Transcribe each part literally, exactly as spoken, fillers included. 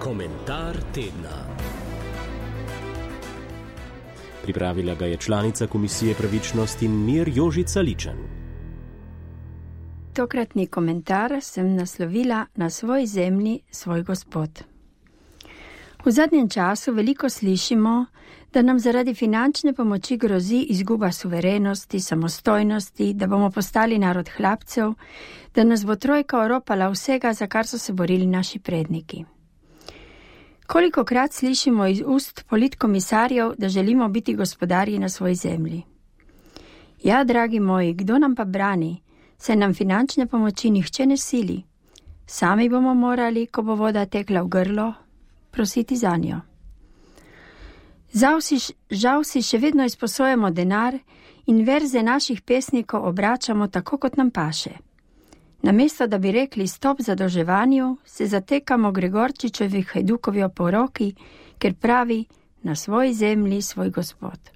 Komentar tedna. Pripravila ga je članica Komisije pravičnost in mir Jožica Ličen. Tokratni komentar sem naslovila Na svoj zemlji, svoj gospod. V zadnjem času veliko slišimo, da nam zaradi finančne pomoči grozi izguba suverenosti, samostojnosti, da bomo postali narod hlapcev, da nas bo trojka oropala vsega, za kar so se borili naši predniki. Kolikokrat slišimo iz ust politkomisarjev, da želimo biti gospodarji na svoji zemlji. Ja, dragi moji, kdo nam pa brani, saj nam finančne pomoči nihče ne sili. Sami bomo morali, ko bo voda tekla v grlo, prositi za njo. Žal si, žal si še vedno izposojamo denar in verze naših pesnikov obračamo tako, kot nam paše. Namesto, da bi rekli stop zadolževanju, se zatekamo Gregorčičevi Hajdukovi oporoki, ker pravi na svoji zemlji svoj gospod.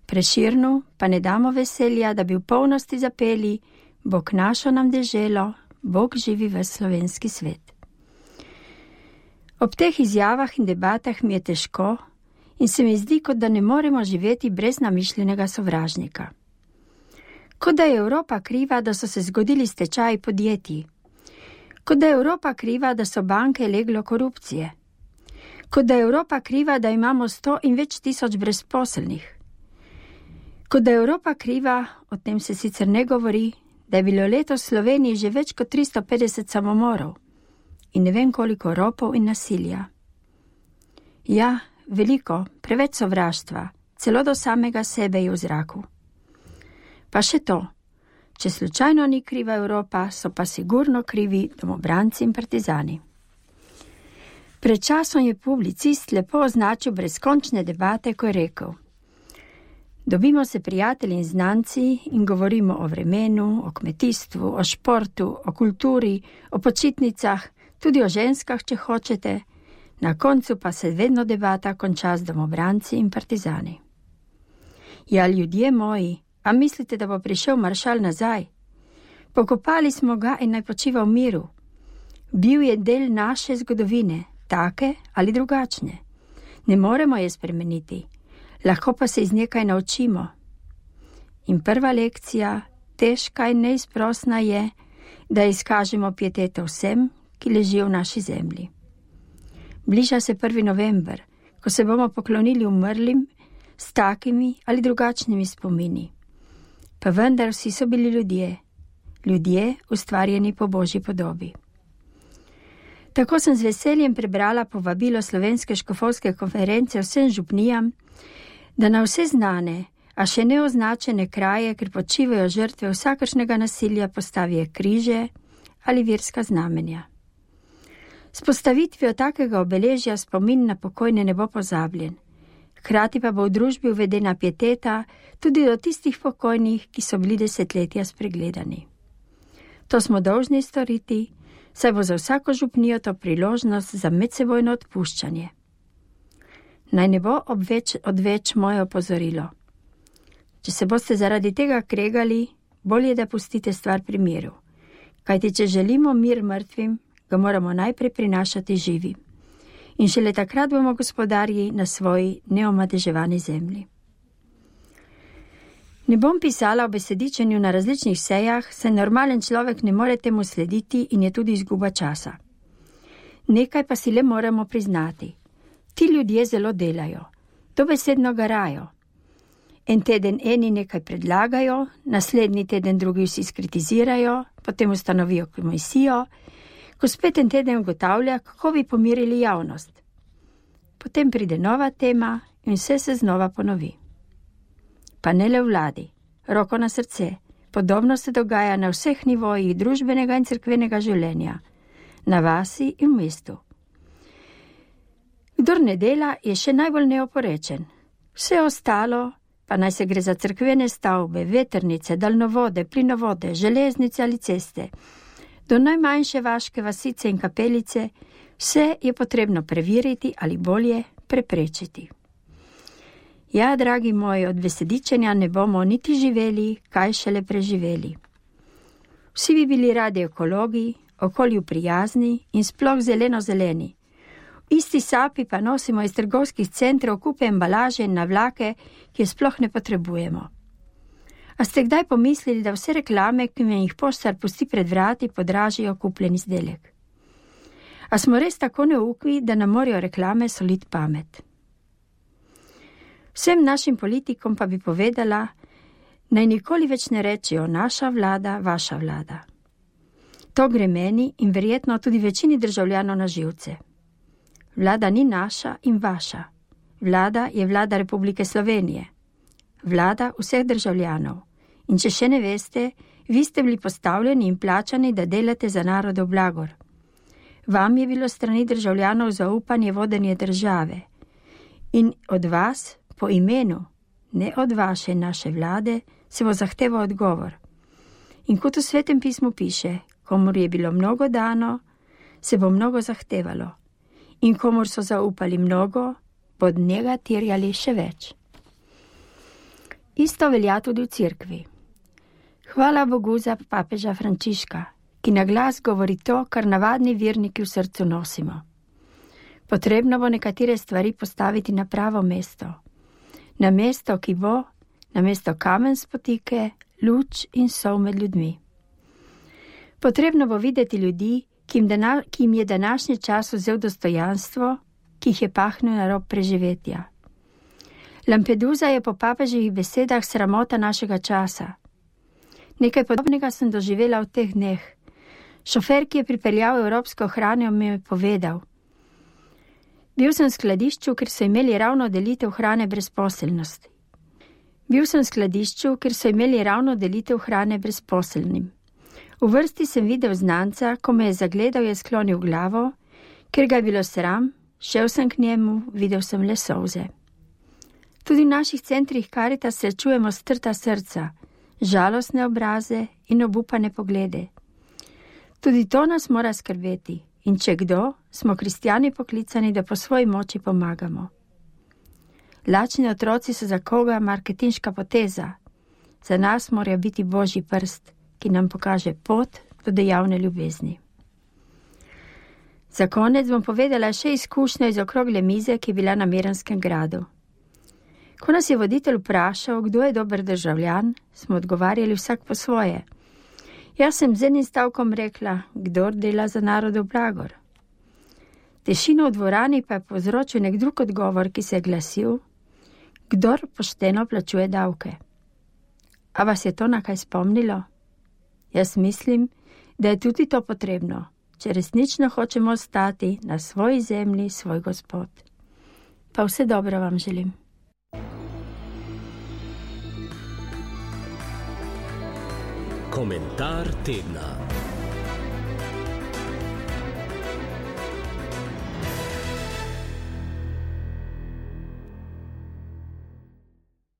Preširnu pa ne damo veselja, da bi v polnosti zapeli Bog našo nam deželo, Bog živi v slovenski svet. Ob teh izjavah in debatah mi je težko in se mi zdi, kot da ne moremo živeti brez namišljenega sovražnika. Kot da je Evropa kriva, da so se zgodili stečaji podjetij. Kot da je Evropa kriva, da so banke leglo korupcije. Kot da je Evropa kriva, da imamo sto in več tisoč brezposelnih. Kot da je Evropa kriva, o tem se sicer ne govori, da je bilo letos v Sloveniji že več kot tristo petdeset samomorov in ne vem koliko ropov in nasilja. Ja, veliko, preveč sovraštva, celo do samega sebe je v zraku. Pa še to, če slučajno ni kriva Evropa, so pa sigurno krivi domobranci in partizani. Pred časom je publicist lepo označil brezkončne debate, ko je rekel: dobimo se prijatelji in znanci in govorimo o vremenu, o kmetijstvu, o športu, o kulturi, o počitnicah, tudi o ženskah, če hočete, na koncu pa se vedno debata konča z domobranci in partizani. Ja, ljudje moji, a mislite, da bo prišel maršal nazaj? Pokopali smo ga in naj počiva v miru. Bil je del naše zgodovine, take ali drugačne. Ne moremo je spremeniti, lahko pa se iz nekaj naučimo. In prva lekcija, težka in neizprosna je, da izkažemo pieteto vsem, ki ležijo v naši zemlji. Bliža se prvi november, ko se bomo poklonili umrlim s takimi ali drugačnimi spomini. Pa vendar vsi so bili ljudje, ljudje ustvarjeni po Božji podobi. Tako sem z veseljem prebrala povabilo Slovenske škofovske konference vsem župnijam, da na vse znane, a še neoznačene kraje, kjer počivajo žrtve vsakršnega nasilja, postavijo križe ali verska znamenja. S postavitvijo takega obeležja spomin na pokojne ne bo pozabljen. Hkrati pa bo v družbi uvedena pieteta tudi do tistih pokojnih, ki so bili desetletja spregledani. To smo dolžni storiti, saj bo za vsako župnijo to priložnost za medsebojno odpuščanje. Naj ne bo obveč, odveč moje opozorilo. Če se boste zaradi tega kregali, bolje da pustite stvar pri miru. Kajti če želimo mir mrtvim, ga moramo najprej prinašati živi. In šele takrat bomo gospodarji na svoji neomadeževani zemlji. Ne bom pisala o besedičenju na različnih sejah, saj normalen človek ne more temu slediti in je tudi izguba časa. Nekaj pa si le moramo priznati. Ti ljudje zelo delajo, dobesedno garajo. En teden eni nekaj predlagajo, naslednji teden drugi vsi skritizirajo, potem ustanovijo komisijo, ko spet en teden ugotavlja, kako bi pomirili javnost. Potem pride nova tema in vse se znova ponovi. Pa ne le vladi, roko na srce, podobno se dogaja na vseh nivojih družbenega in cerkvenega življenja, na vasi in v mestu. Kdor ne dela, je še najbolj neoporečen. Vse ostalo, pa naj se gre za cerkvene stavbe, vetrnice, daljnovode, plinovode, železnice ali ceste, do najmanjše vaške vasice in kapelice, vse je potrebno preveriti ali bolje preprečiti. Ja, dragi moji, od besedičenja ne bomo niti živeli, kaj šele preživeli. Vsi bi bili radi ekologi, okolju prijazni in sploh zeleno-zeleni. isti sapi pa nosimo iz trgovskih centrov kupe embalaže na vlake, ki jo sploh ne potrebujemo. A ste kdaj pomislili, da vse reklame, ki me jih poštar pusti pred vrati, podražijo kupljen izdelek? A smo res tako neuki, da nam morajo reklame soliti pamet? Vsem našim politikom pa bi povedala, naj nikoli več ne rečijo naša vlada, vaša vlada. To gre meni in verjetno tudi večini državljanov na živce. Vlada ni naša in vaša. Vlada je vlada Republike Slovenije. Vlada vseh državljanov. In če še ne veste, vi ste bili postavljeni in plačani, da delate za narodov blagor. Vam je bilo strani državljanov zaupanje vodenje države. In od vas, po imenu, ne od vaše in naše vlade, se bo zahteval odgovor. In kot v Svetem pismu piše, komur je bilo mnogo dano, se bo mnogo zahtevalo. In komur so zaupali mnogo, bo od njega terjali še več. Isto velja tudi v cerkvi. Hvala Bogu za papeža Frančiška, ki na glas govori to, kar navadni verniki v srcu nosimo. Potrebno bo nekatere stvari postaviti na pravo mesto. Na mesto, ki bo, na mesto kamen spotike, luč in sol med ljudmi. Potrebno bo videti ljudi, ki jim, dana, ki jim je današnji čas vzel dostojanstvo, ki jih je pahnil na rob preživetja. Lampedusa je po papeževih besedah sramota našega časa. Nekaj podobnega sem doživela v teh dneh. Šofer, ki je pripeljal evropsko hrano, mi je povedal. Bil sem v skladišču, ker so imeli ravno delitev hrane brezposelnosti. Bil sem v skladišču, ker so imeli ravno delitev hrane brezposelnim. V vrsti sem videl znanca, ko me je zagledal, je sklonil glavo, ker ga je bilo sram, šel sem k njemu, videl sem le solze. Tudi v naših centrih Karitas srečujemo strta srca, žalostne obraze in obupane poglede. Tudi to nas mora skrbeti in če kdo, smo kristjani poklicani, da po svoji moči pomagamo. Lačni otroci so za koga marketinška poteza, za nas mora biti Božji prst, ki nam pokaže pot do dejavne ljubezni. Za konec bom povedala še izkušnjo iz okrogle mize, ki je bila na Miranskem gradu. Ko nas je voditelj vprašal, kdo je dober državljan, smo odgovarjali vsak po svoje. Jaz sem z enim stavkom rekla, kdor dela za narodov blagor. Tišino v dvorani pa je povzročil nek drug odgovor, ki se je glasil, kdor pošteno plačuje davke. A vas je to na kaj spomnilo? Jaz mislim, da je tudi to potrebno, če resnično hočemo ostati na svoji zemlji, svoj Gospod. Pa vse dobro vam želim. Komentar tedna.